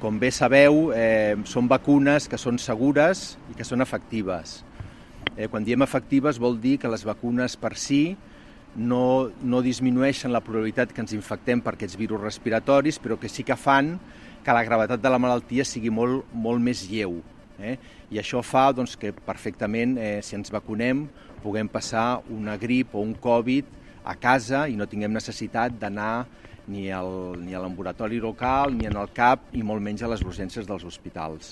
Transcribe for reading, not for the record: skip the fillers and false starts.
Com bé sabeu, són vacunes que són segures i que són efectives. Quan diem efectives vol dir que les vacunes per si no disminueixen la probabilitat que ens infectem per aquests virus respiratoris, però que sí que fan que la gravetat de la malaltia sigui molt més lleu. I això fa que perfectament, si ens vacunem, puguem passar una grip o un Covid a casa i no tinguem necessitat d'anar ni a l'ambulatori local, ni en el CAP, i molt menys a les urgències dels hospitals.